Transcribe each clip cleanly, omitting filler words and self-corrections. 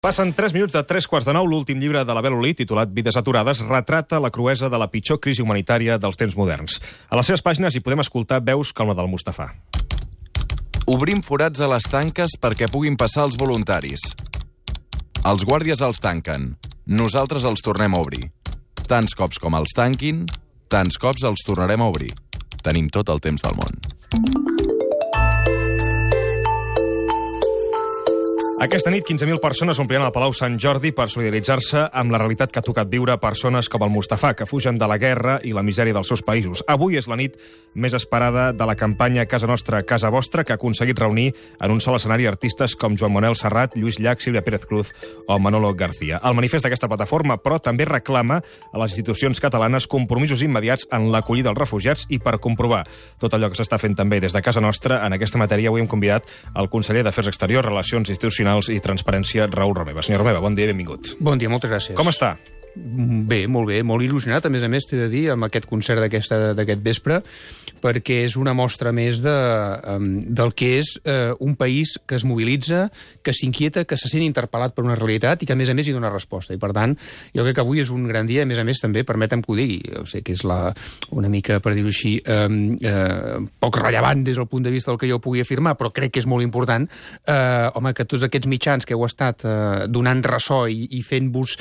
Passen 3 minuts de 3:15. L'últim llibre de l'Abel Olí, titulat Vides aturades, retrata la cruesa de la pitjor crisi humanitària dels temps moderns. A les seves pàgines hi podem escoltar veus com la del Mustafà. Obrim forats a les tanques perquè puguin passar els voluntaris. Els guàrdies els tanquen. Nosaltres els tornem a obrir. Tants cops com els tanquin, tants cops els tornarem a obrir. Tenim tot el temps del món. Aquesta nit, 15.000 persones ompliran el Palau Sant Jordi per solidaritzar-se amb la realitat que ha tocat viure a persones com el Mustafà, que fugen de la guerra i la misèria dels seus països. Avui és la nit més esperada de la campanya Casa Nostra, Casa Vostra, que ha aconseguit reunir en un sol escenari artistes com Joan Manuel Serrat, Lluís Llach, Sílvia Pérez Cruz o Manolo García. El manifest d'aquesta plataforma, però, també reclama a les institucions catalanes compromisos immediats en l'acollida dels refugiats i per comprovar tot allò que s'està fent també des de Casa Nostra. En aquesta matèria avui hem convidat el conseller d'Afers Exteriors, Relacions Institucionals i Transparència, Raül Romeva. Senyor Romeva, bon dia i benvingut. Bon dia, moltes gràcies. Com està? Bé, molt il·lusionat, a més, t'he de dir, amb aquest concert d'aquest vespre, perquè és una mostra més del que és un país que es mobilitza, que s'inquieta, que se sent interpel·lat per una realitat i que, a més, hi dona resposta. I, per tant, jo crec que avui és un gran dia, a més, també, permetem que ho digui, jo sé que és una mica, per dir-ho així, poc rellevant des del punt de vista del que jo pugui afirmar, però crec que és molt important, home, que tots aquests mitjans que heu estat donant ressò i fent-vos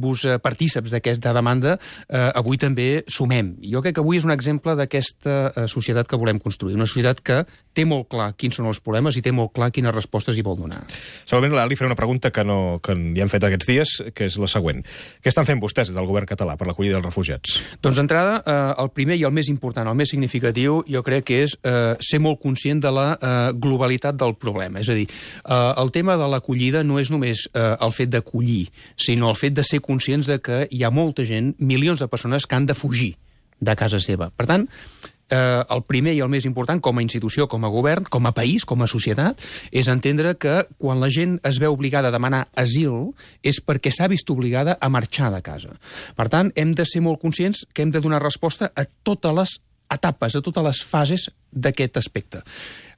partíceps d'aquesta demanda, avui també sumem. Jo crec que avui és un exemple d'aquesta societat que volem construir, una societat que té molt clar quins són els problemes i té molt clar quines respostes hi vol donar. Segurament li faré una pregunta que li hem fet aquests dies, que és la següent. Què estan fent vostès des del govern català per l'acollida dels refugiats? Doncs d'entrada, el primer i el més important, el més significatiu, jo crec que és ser molt conscient de la globalitat del problema. És a dir, el tema de l'acollida no és només el fet d'acollir, sinó el fet de ser conscients de que hi ha molta gent, milions de persones que han de fugir de casa seva. Per tant, el primer i el més important com a institució, com a govern, com a país, com a societat, és entendre que quan la gent es veu obligada a demanar asil és perquè s'ha vist obligada a marxar de casa. Per tant, hem de ser molt conscients que hem de donar resposta a totes les etapes, a totes les fases d'aquest aspecte.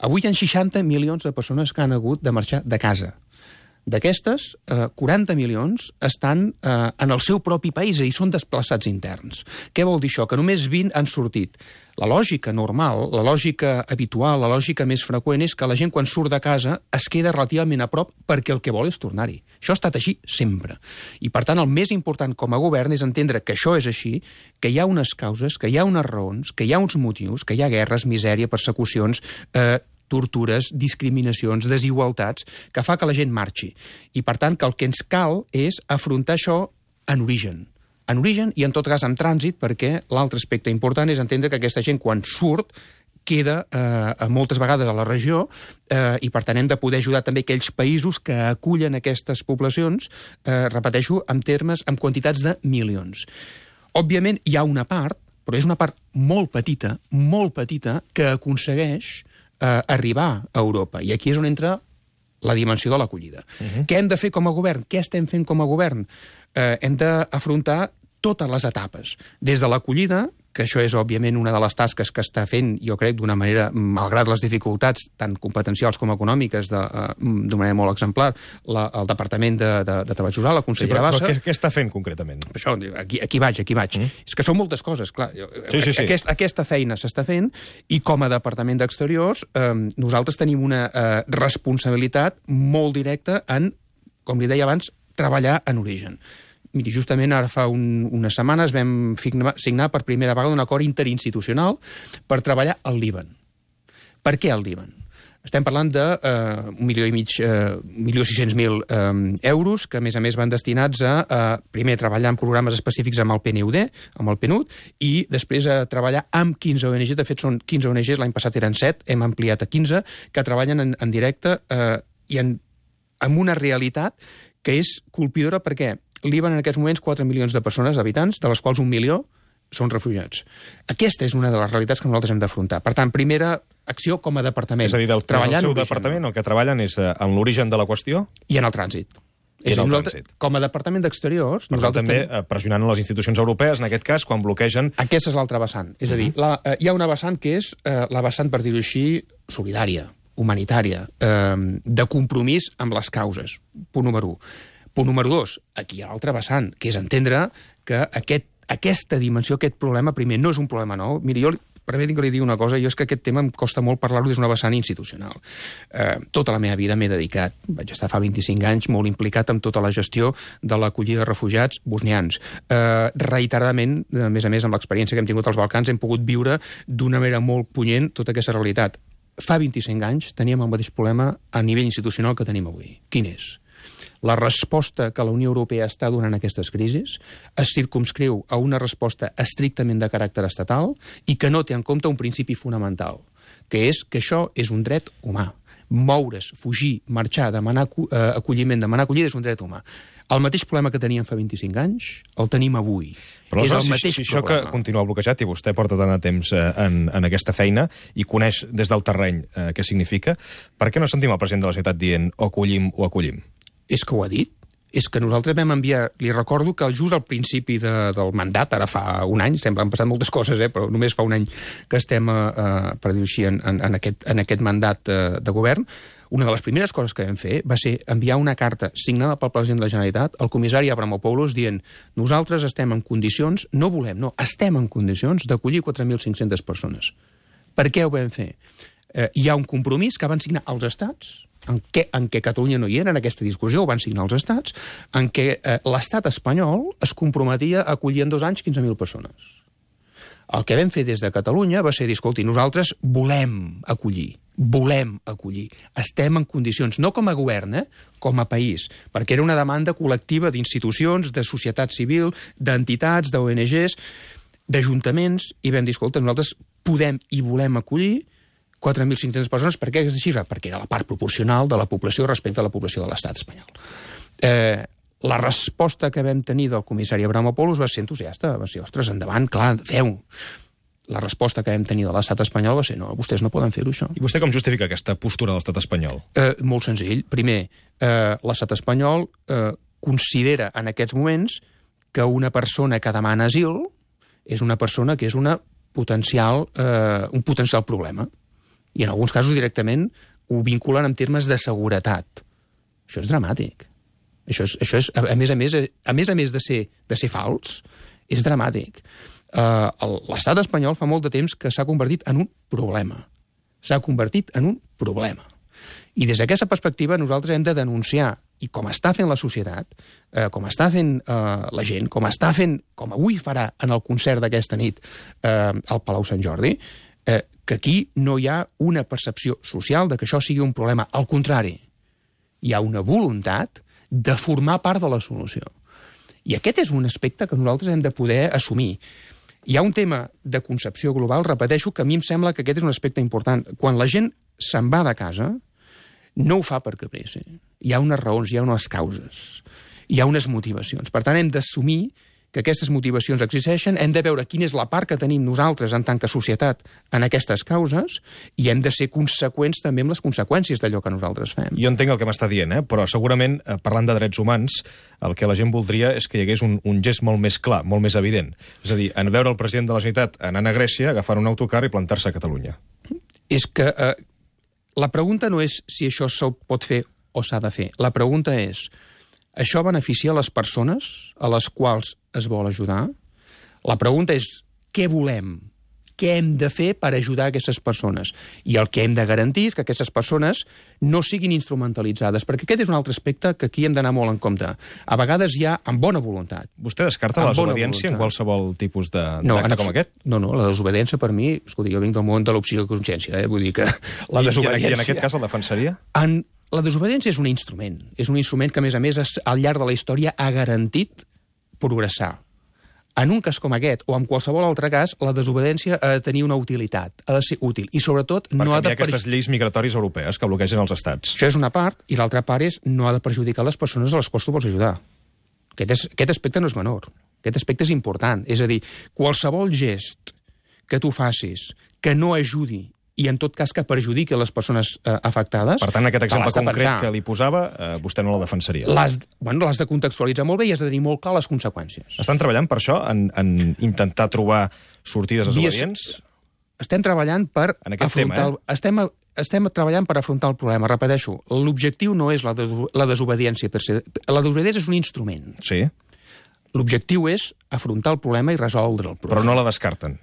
Avui hi ha 60 milions de persones que han hagut de marxar de casa. D'aquestes, 40 milions estan en el seu propi país i són desplaçats interns. Què vol dir això? Que només 20 han sortit. La lògica normal, la lògica habitual, la lògica més freqüent és que la gent quan surt de casa es queda relativament a prop perquè el que vol és tornar-hi. Això ha estat així sempre. I per tant el més important com a govern és entendre que això és així, que hi ha unes causes, que hi ha unes raons, que hi ha uns motius, que hi ha guerres, misèria, persecucions, tortures, discriminacions, desigualtats, que fa que la gent marxi. I, per tant, que el que ens cal és afrontar això en origen. En origen i, en tot cas, en trànsit, perquè l'altre aspecte important és entendre que aquesta gent, quan surt, queda moltes vegades a la regió i, per tant, hem de poder ajudar també aquells països que acullen aquestes poblacions, repeteixo, amb quantitats de milions. Òbviament, hi ha una part, però és una part molt petita, que aconsegueix arribar a Europa. I aquí és on entra la dimensió de l'acollida. Què hem de fer com a govern? Què estem fent com a govern? Hem d'afrontar totes les etapes. Des de l'acollida, que això és, òbviament, una de les tasques que està fent, jo crec, d'una manera, malgrat les dificultats, tant competencials com econòmiques, d'una manera molt exemplar, el Departament de Treball Social, la consellera Bassa... Però què està fent, concretament? Això, aquí vaig. És que són moltes coses, clar. Sí. Aquesta feina s'està fent i, com a Departament d'Exteriors, nosaltres tenim una responsabilitat molt directa en, com li deia abans, treballar en origen. Miri, justament ara fa unes setmanes vam signar per primera vegada un acord interinstitucional per treballar al Líban. Per què al Líban? Estem parlant de 1.600.000 euros que, a més, van destinats a, primer, treballar en programes específics amb el PNUD, amb el PNUD, i després a treballar amb 15 ONGs. De fet, són 15 ONGs, l'any passat eren 7, hem ampliat a 15, que treballen en directe i amb una realitat que és colpidora perquè Líban en aquests moments 4 milions de persones, d'habitants, de les quals 1 milió són refugiats. Aquesta és una de les realitats que nosaltres hem d'afrontar. Per tant, primera acció com a departament. És a dir, del seu departament el que treballen és en l'origen de la qüestió? I en el trànsit. Com a Departament d'Exteriors... Nosaltres també pressionant les institucions europees, en aquest cas, quan bloquegen... Aquesta és l'altra vessant. És a dir, hi ha una vessant que és la vessant, per dir-ho així, solidària, humanitària, de compromís amb les causes. Punt número 1. Punt número 2, aquí hi ha l'altre vessant, que és entendre que aquesta dimensió, aquest problema, primer, no és un problema nou. Miri, jo permeti'm que li digui una cosa, jo és que aquest tema em costa molt parlar-ho des d'una vessant institucional. Tota la meva vida m'he dedicat, vaig estar fa 25 anys molt implicat amb tota la gestió de l'acollida de refugiats bosnians. Reiteradament, a més, amb l'experiència que hem tingut als Balcans, hem pogut viure d'una manera molt punyent tota aquesta realitat. Fa 25 anys teníem el mateix problema a nivell institucional que tenim avui. Quin és? La resposta que la Unió Europea està donant a aquestes crisis es circumscriu a una resposta estrictament de caràcter estatal i que no té en compte un principi fonamental, que és que això és un dret humà. Moure's, fugir, marxar, demanar acolliment, demanar acollida és un dret humà. El mateix problema que teníem fa 25 anys el tenim avui. Però és el si mateix això problema. que continua bloquejat i vostè porta tant de temps en aquesta feina i coneix des del terreny què significa, per què no sentim el president de la ciutat dient o acollim o acollim? És que ho ha dit. És que nosaltres vam enviar... Li recordo que just al principi del mandat, ara fa un any, sembla, han passat moltes coses, però només fa un any que estem, per dir-ho així, en aquest mandat de govern, una de les primeres coses que vam fer va ser enviar una carta signada pel president de la Generalitat al comissari Avramopoulos dient nosaltres estem en condicions, no volem, no, estem en condicions d'acollir 4.500 persones. Per què ho vam fer? Hi ha un compromís que van signar els estats, en què Catalunya no hi era en aquesta discussió, ho van signar els estats, en què l'estat espanyol es comprometia a acollir en 2 anys 15.000 persones. El que vam fer des de Catalunya va ser dir, escolti, nosaltres volem acollir, estem en condicions, no com a govern, com a país, perquè era una demanda col·lectiva d'institucions, de societat civil, d'entitats, d'ONGs, d'ajuntaments, i vam dir, escolta, nosaltres podem i volem acollir 4.500 persones. Per què aquesta xifra? Perquè era la part proporcional de la població respecte a la població de l'estat espanyol. La resposta que vam tenir del comissari Avramopoulos va ser entusiasta, va ser, ostres, endavant, clar, feu. La resposta que vam tenir de l'estat espanyol va ser, no, vostès no poden fer-ho, això. I vostè com justifica aquesta postura de l'estat espanyol? Molt senzill. Primer, l'estat espanyol considera en aquests moments que una persona que demana asil és una persona que és un potencial problema. I en alguns casos directament ho vinculen en termes de seguretat. Això és dramàtic. Això és a més de ser fals, és dramàtic. L'estat espanyol fa molt de temps que s'ha convertit en un problema. I des d'aquesta perspectiva nosaltres hem de denunciar, i com està fent la societat, com està fent la gent, com avui farà en el concert d'aquesta nit al Palau Sant Jordi, que aquí no hi ha una percepció social de que això sigui un problema. Al contrari, hi ha una voluntat de formar part de la solució. I aquest és un aspecte que nosaltres hem de poder assumir. Hi ha un tema de concepció global, repeteixo, que a mi em sembla que aquest és un aspecte important. Quan la gent se'n va de casa, no ho fa per caprici. Hi ha unes raons, hi ha unes causes, hi ha unes motivacions. Per tant, hem d'assumir que aquestes motivacions existeixen, hem de veure quina és la part que tenim nosaltres en tant que societat en aquestes causes i hem de ser conseqüents també amb les conseqüències d'allò que nosaltres fem. Jo entenc el que m'està dient, però segurament, parlant de drets humans, el que la gent voldria és que hi hagués un gest molt més clar, molt més evident. És a dir, en veure el president de la Generalitat anant a Grècia, agafant un autocar i plantar-se a Catalunya. És que la pregunta no és si això s'ho pot fer o s'ha de fer. La pregunta és, això beneficia les persones a les quals es vol ajudar? La pregunta és, què volem? Què hem de fer per ajudar aquestes persones? I el que hem de garantir és que aquestes persones no siguin instrumentalitzades, perquè aquest és un altre aspecte que aquí hem d'anar molt en compte. A vegades hi ha, amb bona voluntat. Vostè descarta la desobediència en qualsevol tipus d'acte com aquest? No, la desobediència per mi, escolti, jo vinc del món de l'opció de consciència, vull dir que la desobediència... I en aquest cas el defensaria? La desobediència és un instrument que, a més, al llarg de la història ha garantit progressar. En un cas com aquest, o en qualsevol altre cas, la desobediència ha de tenir una utilitat, ha de ser útil, i sobretot no ha de... Per canviar aquestes lleis migratòries europees que bloquegen els estats. Això és una part, i l'altra part és no ha de perjudicar les persones a les quals tu vols ajudar. Aquest aspecte no és menor, aquest aspecte és important. És a dir, qualsevol gest que tu facis que no ajudi i en tot cas que perjudiqui les persones afectades... Per tant, aquest exemple concret que li posava, vostè no la defensaria. L'has de contextualitzar molt bé i has de tenir molt clar les conseqüències. Estan treballant per això, en intentar trobar sortides desobedients? estem treballant per En aquest afrontar... Estem treballant per afrontar el problema. Repeteixo, l'objectiu no és la desobediència per se. La desobediència és un instrument. Sí. L'objectiu és afrontar el problema i resoldre el problema. Però no la descarten.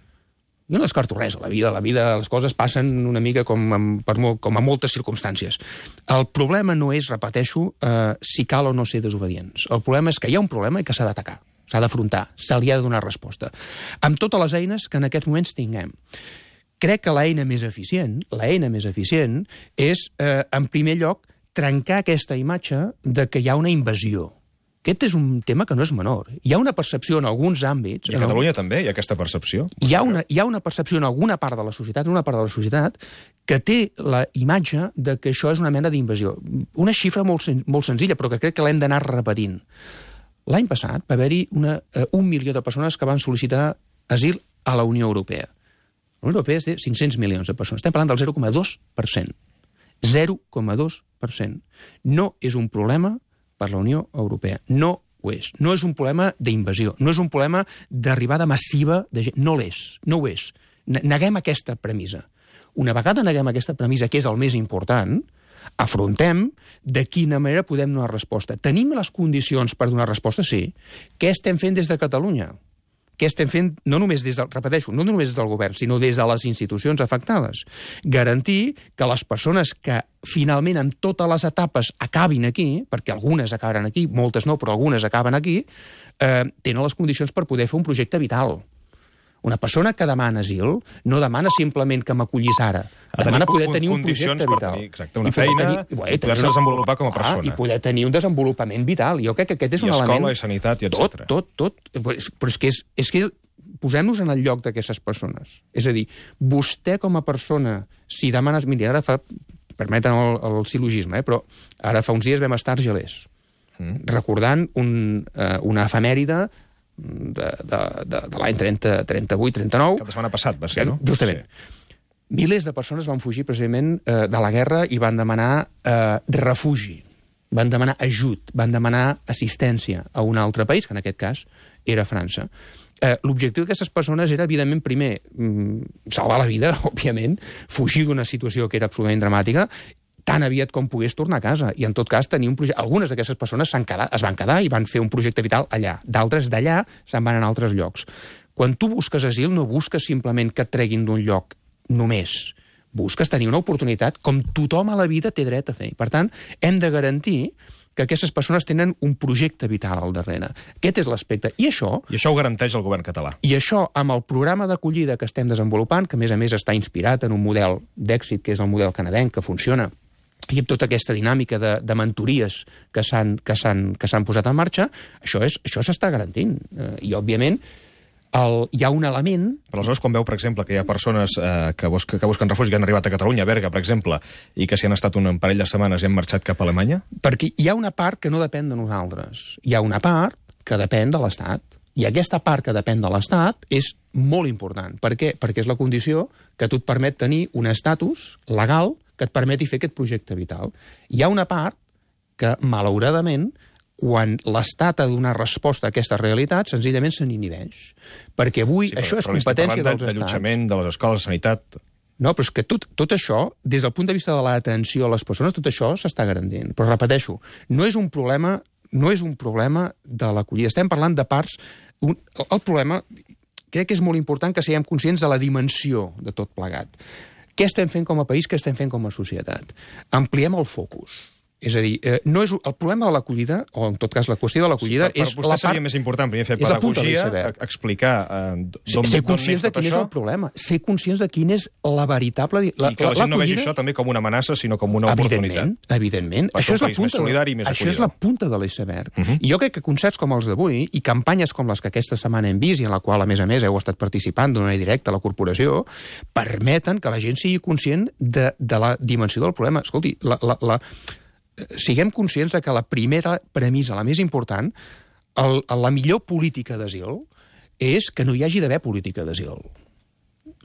Jo no descarto res a la vida, les coses passen una mica com a moltes circumstàncies. El problema no és, repeteixo, si cal o no ser desobedients. El problema és que hi ha un problema i que s'ha d'atacar, s'ha d'afrontar, se li ha de donar resposta. Amb totes les eines que en aquests moments tinguem. Crec que l'eina més eficient és, en primer lloc, trencar aquesta imatge de que hi ha una invasió. Aquest és un tema que no és menor. Hi ha una percepció en alguns àmbits... I a Catalunya també hi ha aquesta percepció? Hi ha una percepció en alguna part de la societat, que té la imatge de que això és una mena d'invasió. Una xifra molt senzilla, però que crec que l'hem d'anar repetint. L'any passat va haver-hi 1 milió de persones que van sol·licitar asil a la Unió Europea. La Unió Europea és de 500 milions de persones. Estem parlant del 0,2%. 0,2%. No és un problema per la Unió Europea. No ho és. No és un problema d'invasió. No és un problema d'arribada massiva de gent. No l'és. No ho és. Neguem aquesta premissa. Una vegada neguem aquesta premissa, que és el més important, afrontem de quina manera podem donar resposta. Tenim les condicions per donar resposta? Sí. Què estem fent des de Catalunya? Què estem fent, no només des del govern, sinó des de les institucions afectades? Garantir que les persones que finalment en totes les etapes acabin aquí, perquè algunes acabaran aquí, moltes no, però algunes acaben aquí, tenen les condicions per poder fer un projecte vital. Una persona que demana asil no demana simplement que m'acollis ara. Demana poder tenir un projecte vital. Exacte, una feina, i poder-se desenvolupar com a persona. I poder tenir un desenvolupament vital. Jo crec que aquest és un element... I escola, i sanitat, i etc. Tot. Però és que posem-nos en el lloc d'aquestes persones. És a dir, vostè com a persona, si demanes... Mira, ara fa... Permeten el silogisme, però ara fa uns dies vam estar a Argelers, recordant una efemèride de l'any 38-39. Cap de setmana passat va ser, no? Justament. Sí. Milers de persones van fugir precisament de la guerra i van demanar refugi, van demanar ajut, van demanar assistència a un altre país, que en aquest cas era França. L'objectiu d'aquestes persones era, evidentment, primer, salvar la vida, òbviament, fugir d'una situació que era absolutament dramàtica, tan aviat com pogués tornar a casa, i en tot cas tenir un projecte. Algunes d'aquestes persones es van quedar i van fer un projecte vital allà. D'altres d'allà se'n van a altres llocs. Quan tu busques asil no busques simplement que et treguin d'un lloc només. Busques tenir una oportunitat com tothom a la vida té dret a fer. Per tant, hem de garantir que aquestes persones tenen un projecte vital al darrere. Aquest és l'aspecte. I això ho garanteix el govern català. I això, amb el programa d'acollida que estem desenvolupant, que a més està inspirat en un model d'èxit, que és el model canadenc, que funciona, i amb tota aquesta dinàmica de mentories que s'han posat en marxa, això s'està garantint. I, òbviament, hi ha un element... Però aleshores, quan veu, per exemple, que hi ha persones que busquen refugi, que han arribat a Catalunya, a Berga, per exemple, i que s'hi han estat un parell de setmanes i han marxat cap a Alemanya? Perquè hi ha una part que no depèn de nosaltres. Hi ha una part que depèn de l'Estat. I aquesta part que depèn de l'Estat és molt important. Per què? Perquè és la condició que tu et permet tenir un estatus legal que et permeti fer aquest projecte vital. Hi ha una part que, malauradament, quan l'Estat ha de donar resposta a aquesta realitat, senzillament se n'inhibeix. Perquè avui això és competència dels estats. D'allotjament, de les escoles, de sanitat... No, però és que tot això, des del punt de vista de l'atenció a les persones, tot això s'està garantint. Però repeteixo, no és un problema de l'acollida. Estem parlant de parts... El problema, crec que és molt important que siguem conscients de la dimensió de tot plegat. Què estem fent com a país, què estem fent com a societat? Ampliem el focus. És a dir, no és el problema de l'acollida, o en tot cas la qüestió de l'acollida, és la part... Per vostè seria més important primer fer pedagogia, explicar ser conscients de quin és el problema, ser conscients de quin és la veritable... I que la gent no vegi això també com una amenaça, sinó com una oportunitat. Evidentment. Això és la punta de l'iceberg. I jo crec que concerts com els d'avui i campanyes com les que aquesta setmana hem vist i en la qual, a més, heu estat participant d'una manera directa a la corporació, permeten que la gent sigui conscient de la dimensió del problema. Escolti, siguem conscients de que la primera premissa, la més important, la millor política d'asil, és que no hi hagi d'haver política d'asil.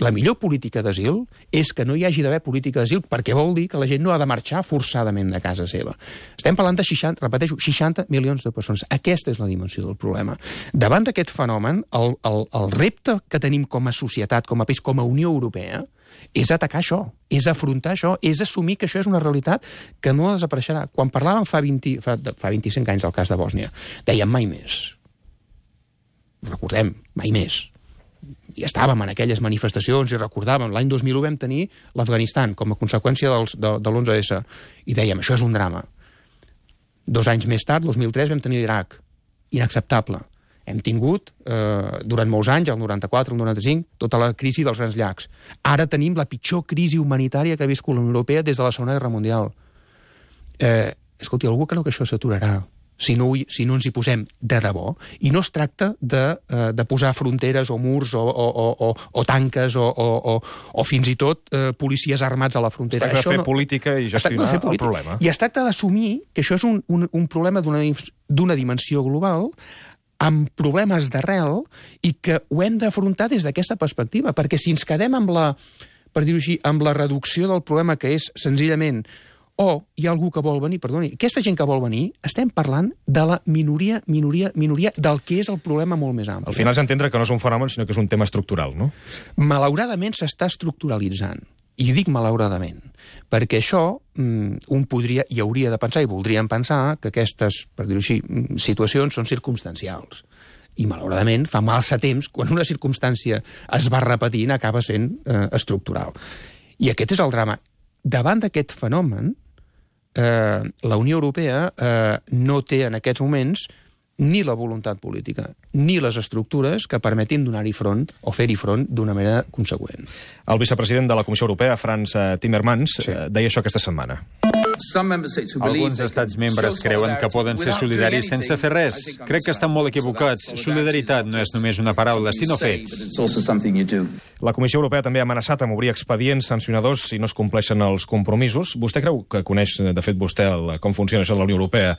La millor política d'asil és que no hi hagi d'haver política d'asil, perquè vol dir que la gent no ha de marxar forçadament de casa seva. Estem parlant de 60 milions de persones. Aquesta és la dimensió del problema. Davant d'aquest fenomen, el repte que tenim com a societat, com a país, com a Unió Europea, és atacar això, és afrontar això, és assumir que això és una realitat que no desapareixerà. Quan parlàvem fa 25 anys del cas de Bòsnia, dèiem mai més. Recordem, mai més. I estàvem en aquelles manifestacions i recordàvem, l'any 2001 vam tenir l'Afganistan com a conseqüència de l'11S i dèiem, això és un drama. 2 anys més tard, 2003, vam tenir l'Iraq. Inacceptable. Hem tingut, durant molts anys, el 94, el 95, tota la crisi dels Grans Llacs. Ara tenim la pitjor crisi humanitària que ha viscut la Unió Europea des de la Segona Guerra Mundial. Escolti, algú creu que això s'aturarà si no ens hi posem de debò? I no es tracta de posar fronteres o murs o tanques o fins i tot policies armats a la frontera. Es tracta de fer política i gestionar el problema. I es tracta d'assumir que això és un problema d'una dimensió global amb problemes d'arrel i que ho hem d'afrontar des d'aquesta perspectiva, perquè si ens quedem amb la reducció del problema que és senzillament hi ha algú que vol venir, perdoni, aquesta gent que vol venir, estem parlant de la minoria del que és el problema molt més ampli. Al final és entendre que no és un fenomen, sinó que és un tema estructural, no? Malauradament s'està estructuralitzant. I dic malauradament, perquè això un podria i hauria de pensar, i voldríem pensar, que aquestes, per dir-ho així, situacions són circumstancials. I malauradament fa massa temps, quan una circumstància es va repetint, acaba sent estructural. I aquest és el drama. Davant d'aquest fenomen, la Unió Europea no té en aquests moments ni la voluntat política, ni les estructures que permetin donar-hi front o fer-hi front d'una manera conseqüent. El vicepresident de la Comissió Europea, Frans Timmermans, deia això aquesta setmana. Alguns estats membres creuen que poden ser solidaris sense fer res. Crec que estan molt equivocats. Solidaritat no és només una paraula, sinó fets. La Comissió Europea també ha amenaçat amb obrir expedients sancionadors si no es compleixen els compromisos. Vostè creu que coneix, de fet, vostè com funciona això de la Unió Europea?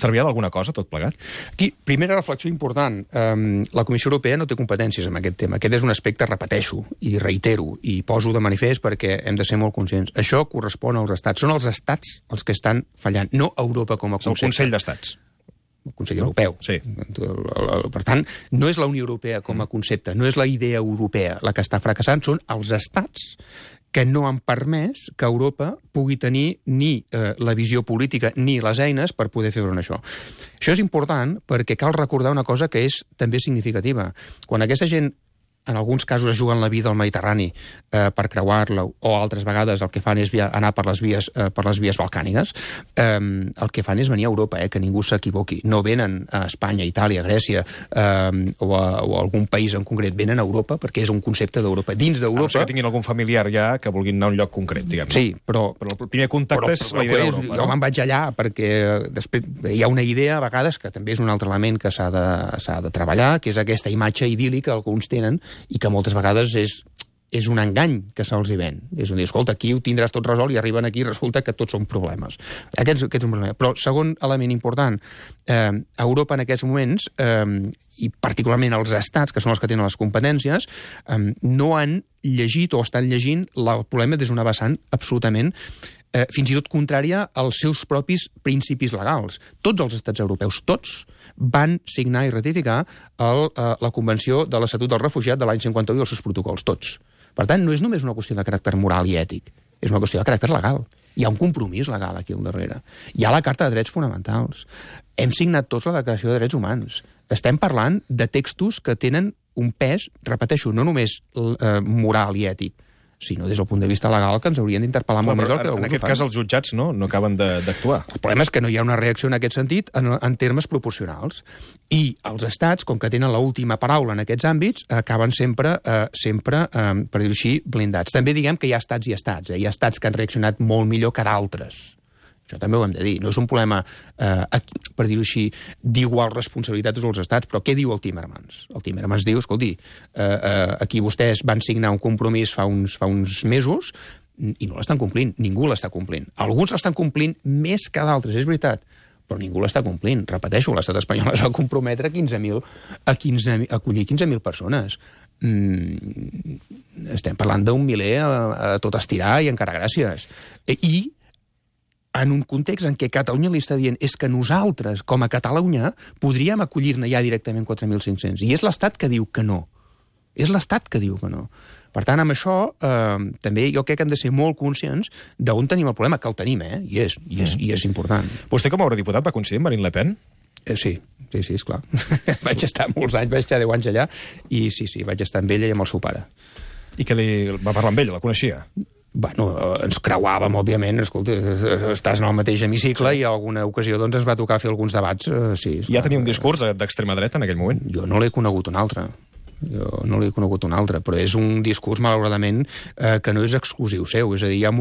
Servirà d'alguna cosa, tot plegat? Aquí, primera reflexió important. La Comissió Europea no té competències en aquest tema. Aquest és un aspecte, repeteixo, i reitero, i poso de manifest perquè hem de ser molt conscients. Això correspon als estats. Són els estats els que estan fallant, no Europa com a concepte. És el Consell d'Estats. El Consell Europeu. Sí. Per tant, no és la Unió Europea com a concepte, no és la idea europea la que està fracassant, són els estats que no han permès que Europa pugui tenir ni la visió política ni les eines per poder fer front a això. Això és important perquè cal recordar una cosa que és també significativa. Quan aquesta gent en alguns casos es juguen la vida al Mediterrani per creuar-la, o altres vegades el que fan és anar per les vies balcàniques, el que fan és venir a Europa, que ningú s'equivoqui. No venen a Espanya, Itàlia, Grècia o a algun país en concret, venen a Europa perquè és un concepte d'Europa. Dins d'Europa... A no ser que tinguin algun familiar ja que vulguin anar a un lloc concret, diguem. Sí, però el primer contacte és la idea d'Europa. Jo me'n vaig allà perquè després hi ha una idea, a vegades, que també és un altre element que s'ha de treballar, que és aquesta imatge idíl·lica que alguns tenen i que moltes vegades és un engany que se'ls hi ven. És a dir, escolta, aquí ho tindràs tot resolt i arriben aquí i resulta que tots són problemes. Aquest és un problema. Però, segon element important, Europa en aquests moments, i particularment els estats, que són els que tenen les competències, no han llegit o estan llegint el problema des d'una vessant absolutament fins i tot contrària als seus propis principis legals. Tots els estats europeus, tots, van signar i ratificar la Convenció de l'Estatut del Refugiat de l'any 51 i els seus protocols, tots. Per tant, no és només una qüestió de caràcter moral i ètic, és una qüestió de caràcter legal. Hi ha un compromís legal aquí al darrere. Hi ha la Carta de Drets Fonamentals. Hem signat tots la Declaració de Drets Humans. Estem parlant de textos que tenen un pes, repeteixo, no només moral i ètic, sinó des del punt de vista legal que ens haurien d'interpel·lar molt més el que alguns ho fan. En aquest cas els jutjats no acaben d'actuar. El problema és que no hi ha una reacció en aquest sentit en termes proporcionals. I els estats, com que tenen l'última paraula en aquests àmbits, acaben sempre, per dir-ho així, blindats. També diguem que hi ha estats i estats. Hi ha estats que han reaccionat molt millor que d'altres. Això també ho hem de dir. No és un problema, per dir-ho així, d'igual responsabilitat dels estats, però què diu el Timmermans? El Timmermans diu, escolti, aquí vostès van signar un compromís fa uns mesos i no l'estan complint, ningú l'està complint. Alguns l'estan complint més que d'altres, és veritat, però ningú l'està complint. Repeteixo, l'estat espanyol es va comprometre a acollir 15.000 persones. Estem parlant d'un miler a tot estirar i encara gràcies. I en un context en què Catalunya li està dient és que nosaltres, com a Catalunya, podríem acollir-ne ja directament 4.500. I és l'Estat que diu que no. És l'Estat que diu que no. Per tant, amb això, també jo crec que hem de ser molt conscients d'on tenim el problema, que el tenim, i és important. Vostè, com a eurodiputat, va coincidir amb Marine Le Pen? Sí, esclar. Vaig estar molts anys, vaig estar 10 anys allà, i sí, vaig estar amb ella i amb el seu pare. I que li va parlar amb ella, la coneixia? Bueno, ens creuàvem, òbviament, escolta, estàs en el mateix hemicicle i a alguna ocasió doncs, ens va tocar fer alguns debats. Sí, ja tenia un discurs d'extrema dreta en aquell moment? Jo no l'he conegut un altre. Però és un discurs, malauradament, que no és exclusiu seu. És a dir, hi ha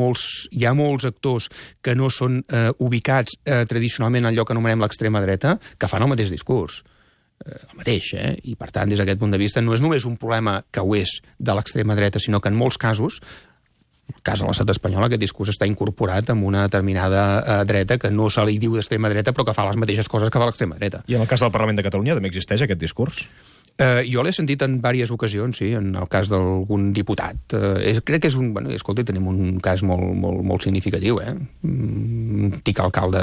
molts actors que no són ubicats tradicionalment en allò que anomenem l'extrema dreta, que fan el mateix discurs. El mateix, I, per tant, des d'aquest punt de vista, no és només un problema que ho és de l'extrema dreta, sinó que en molts casos, en el cas de l'estat espanyol, aquest discurs està incorporat amb una determinada dreta que no se li diu d'extrema dreta, però que fa les mateixes coses que fa l'extrema dreta. I en el cas del Parlament de Catalunya també existeix aquest discurs? Jo l'he sentit en diverses ocasions, sí, en el cas d'algun diputat. Crec que és un... Escolta, tenim un cas molt significatiu, Antic alcalde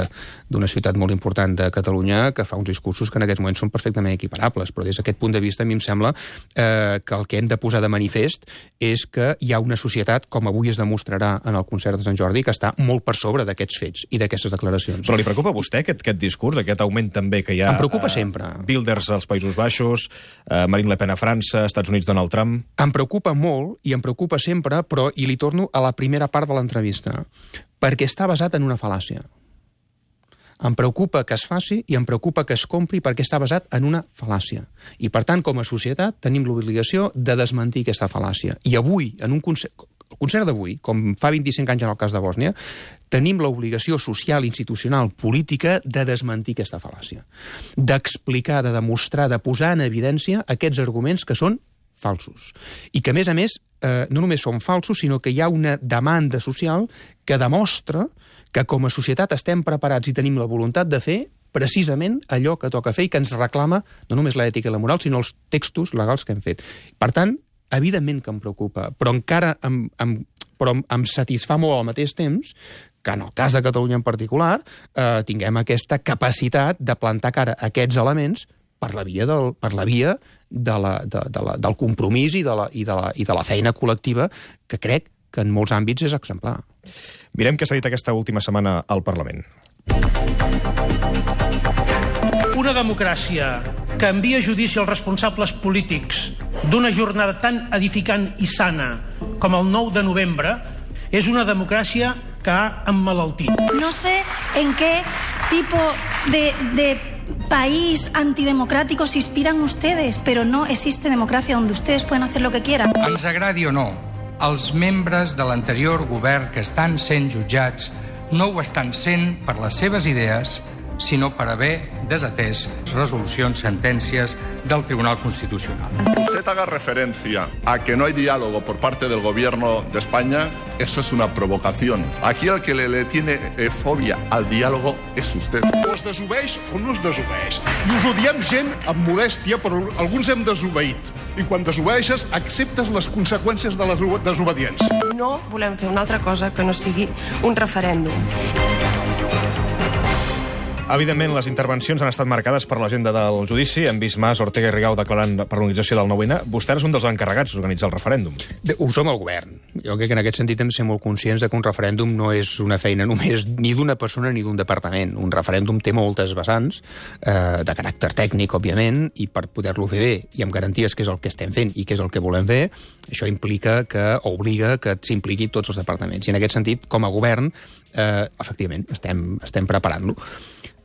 d'una ciutat molt important de Catalunya que fa uns discursos que en aquests moments són perfectament equiparables, però des d'aquest punt de vista a mi em sembla que el que hem de posar de manifest és que hi ha una societat, com avui es demostrarà en el concert de Sant Jordi, que està molt per sobre d'aquests fets i d'aquestes declaracions. Però li preocupa a vostè aquest discurs, aquest augment també que hi ha... Em preocupa sempre. Wilders als Països Baixos, Marine Le Pen a França, Estats Units, Donald Trump... Em preocupa molt, i em preocupa sempre, però i li torno a la primera part de l'entrevista, perquè està basat en una fal·làcia. Em preocupa que es faci i em preocupa que es compri perquè està basat en una fal·làcia. I, per tant, com a societat, tenim l'obligació de desmentir aquesta fal·làcia. I avui, en un el concert d'avui, com fa 25 anys en el cas de Bòsnia, tenim l'obligació social, institucional, política de desmentir aquesta fal·làcia. D'explicar, de demostrar, de posar en evidència aquests arguments que són falsos. I que, a més, no només són falsos, sinó que hi ha una demanda social que demostra que com a societat estem preparats i tenim la voluntat de fer precisament allò que toca fer i que ens reclama no només l'ètica i la moral, sinó els textos legals que hem fet. Per tant, evidentment que em preocupa, però encara em satisfà molt al mateix temps que en el cas de Catalunya en particular tinguem aquesta capacitat de plantar cara a aquests elements per la via del compromís i de la feina col·lectiva que crec que en molts àmbits és exemplar. Mirem què s'ha dit aquesta última setmana al Parlament. Una democràcia que envia a judici els responsables polítics d'una jornada tan edificant i sana com el 9 de novembre és una democràcia que ha emmalaltit. No sé en qué tipo de país antidemocrático se inspiran ustedes, pero no existe democracia donde ustedes pueden hacer lo que quieran. Ens agradi o no, els membres de l'anterior govern que estan sent jutjats no ho estan sent per les seves idees, sinó per haver desatès resolucions, sentències del Tribunal Constitucional. Usted haga referencia a que no hay diálogo por parte del gobierno de España, eso es una provocación. Aquí el que le tiene fobia al diálogo és usted. O es desobeix o no es desobeix. I us ho diem gent amb modèstia, però alguns hem desobeït. I quan desobeeixes, acceptes les conseqüències de la desobediència. No volem fer una altra cosa que no sigui un referèndum. Evidentment, les intervencions han estat marcades per l'agenda del judici. Hem vist Mas, Ortega i Rigau declarant per l'organització del 9-N. Vostè és un dels encarregats d'organitzar el referèndum. Ho som el govern. Jo crec que en aquest sentit hem de ser molt conscients que un referèndum no és una feina només ni d'una persona ni d'un departament. Un referèndum té moltes vessants, de caràcter tècnic, òbviament, i per poder-lo fer bé i amb garanties que és el que estem fent i que és el que volem fer, això implica que obliga que s'impliquin tots els departaments. I en aquest sentit, com a govern, efectivament, estem preparant-lo.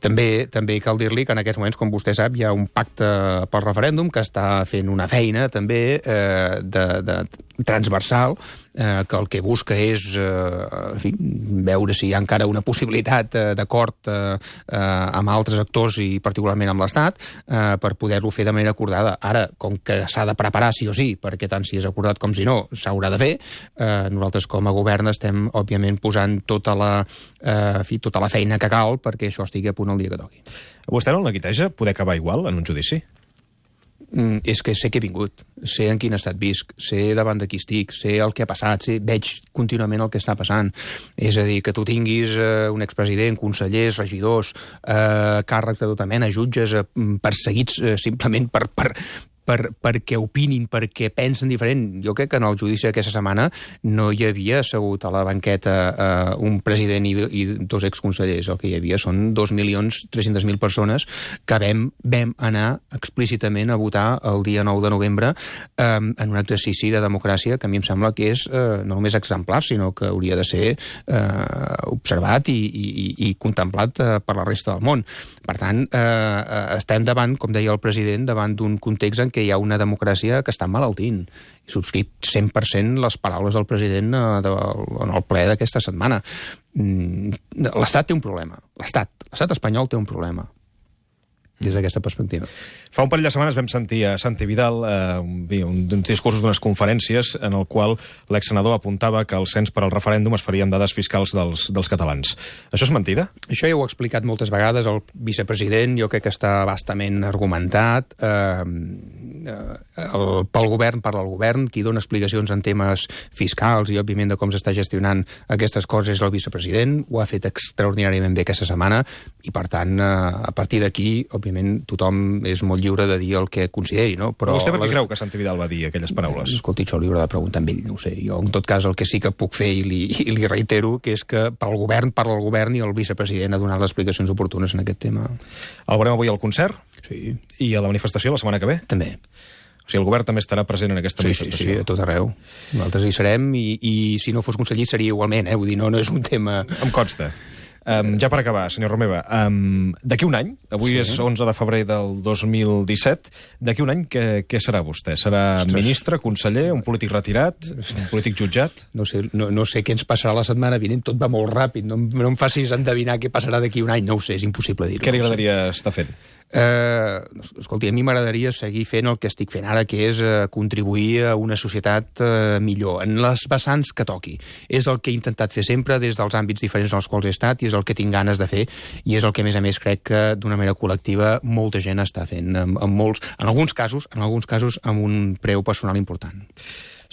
També cal dir-li que en aquests moments, com vostè sap, hi ha un pacte pel referèndum que està fent una feina també de transversal, que el que busca és en fi, veure si hi ha encara una possibilitat d'acord amb altres actors i particularment amb l'Estat per poder-lo fer de manera acordada. Ara, com que s'ha de preparar sí o sí, perquè tant si és acordat com si no s'haurà de fer, nosaltres com a govern estem, òbviament, posant tota la feina que cal perquè això estigui a punt el dia que toqui. Vostè no el neguiteja poder acabar igual en un judici? És que sé que he vingut, sé en quin estat visc, sé davant de qui estic, sé el que ha passat, veig contínuament el que està passant. És a dir, que tu tinguis un expresident, consellers, regidors, càrrecs de tota mena, jutges, perseguits simplement perquè opinin, perquè pensen diferent. Jo crec que en el judici d'aquesta setmana no hi havia assegut a la banqueta un president i dos exconsellers. El que hi havia són 2.300.000 persones que vam anar explícitament a votar el dia 9 de novembre en un exercici de democràcia que a mi em sembla que és no només exemplar, sinó que hauria de ser observat i contemplat per la resta del món. Per tant, estem davant, com deia el president, davant d'un context en què hi ha una democràcia que està malaltint. He subscrit 100% les paraules del president en el ple d'aquesta setmana. L'Estat té un problema. L'estat espanyol té un problema des d'aquesta perspectiva. Fa un parell de setmanes vam sentir a Santi Vidal uns discursos d'unes conferències en el qual l'exsenador apuntava que el cens per al referèndum es faria amb dades fiscals dels catalans. Això és mentida? Això ja ho ha explicat moltes vegades el vicepresident, jo crec que està bastament argumentat. Pel govern parla el govern, qui dona explicacions en temes fiscals i, òbviament, de com s'està gestionant aquestes coses és el vicepresident. Ho ha fet extraordinàriament bé aquesta setmana i, per tant, a partir d'aquí, òbviament, tothom és molt lliure de dir el que consideri, no? Però vostè per què creu que Santi Vidal va dir aquelles paraules? Escolti, això li haurà de preguntar amb ell, no ho sé. Jo, en tot cas, el que sí que puc fer i li reitero, que és que pel govern parla el govern i el vicepresident ha donat les explicacions oportunes en aquest tema. El veurem avui al concert? Sí. I a la manifestació la setmana que ve? També. O sigui, el govern també estarà present en aquesta manifestació? Sí, a tot arreu. Nosaltres hi serem i si no fos conseller seria igualment, Vull dir, no és un tema... Em consta. Ja per acabar, senyor Romeva, d'aquí un any, avui és 11 de febrer del 2017, d'aquí un any què serà vostè? Serà ministre, conseller, un polític retirat, un polític jutjat? No sé què ens passarà la setmana vinent, tot va molt ràpid, no em facis endevinar què passarà d'aquí un any, no ho sé, és impossible dir-ho. Què li agradaria estar fent? Escolti, a mi m'agradaria seguir fent el que estic fent ara, que és contribuir a una societat millor, en les vessants que toqui. És el que he intentat fer sempre des dels àmbits diferents en els quals he estat i és el que tinc ganes de fer i és el que, a més, crec que d'una manera col·lectiva molta gent està fent, en alguns casos amb un preu personal important.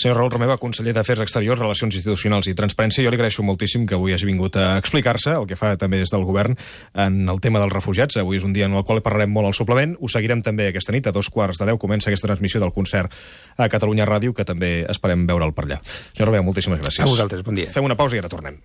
Senyor Raül Romeva, conseller d'Afers Exteriors, Relacions Institucionals i Transparència, jo li agraeixo moltíssim que avui hagi vingut a explicar-se el que fa també des del govern en el tema dels refugiats. Avui és un dia en el qual parlarem molt al suplement. Ho seguirem també aquesta nit, a 2:15 comença aquesta transmissió del concert a Catalunya Ràdio, que també esperem veure'l per allà. Senyor Romeva, moltíssimes gràcies. A vosaltres, bon dia. Fem una pausa i ara tornem.